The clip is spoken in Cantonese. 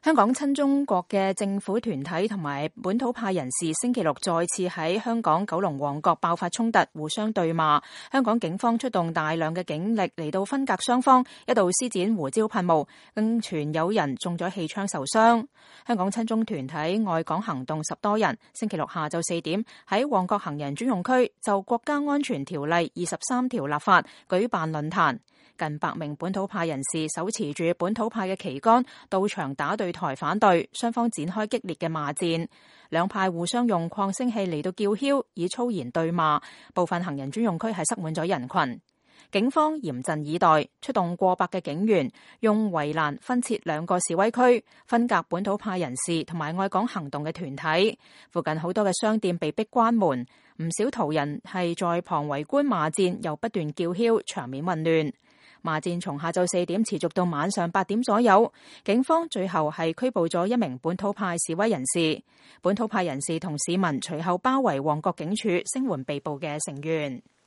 香港親中國嘅政府團體同埋本土派人士星期六再次喺香港九龍旺角爆發衝突，互相對罵。香港警方出動大量嘅警力嚟到分隔雙方，一度施展胡椒噴霧，更傳有人中咗氣槍受傷。香港親中團體愛港行動10多人星期六下晝4點喺旺角行人專用區就國家安全條例23條立法舉辦論壇。近100名本土派人士手持住本土派嘅旗杆到場打對台反對，雙方展開激烈嘅罵戰，兩派互相用擴聲器嚟到叫囂，以粗言對罵，部分行人專用區係塞滿咗人群。警方嚴陣以待，出動過百嘅警員，用圍欄分設2個示威區，分隔本土派人士同埋愛港行動嘅團體。附近好多嘅商店被逼關門，唔少途人係在旁圍觀罵戰，又不斷叫囂，場面混亂。罵戰從下晝4點持續到晚上8點左右，警方最後係拘捕咗1名本土派示威人士。本土派人士同市民隨後包圍旺角警署，聲援被捕嘅成員。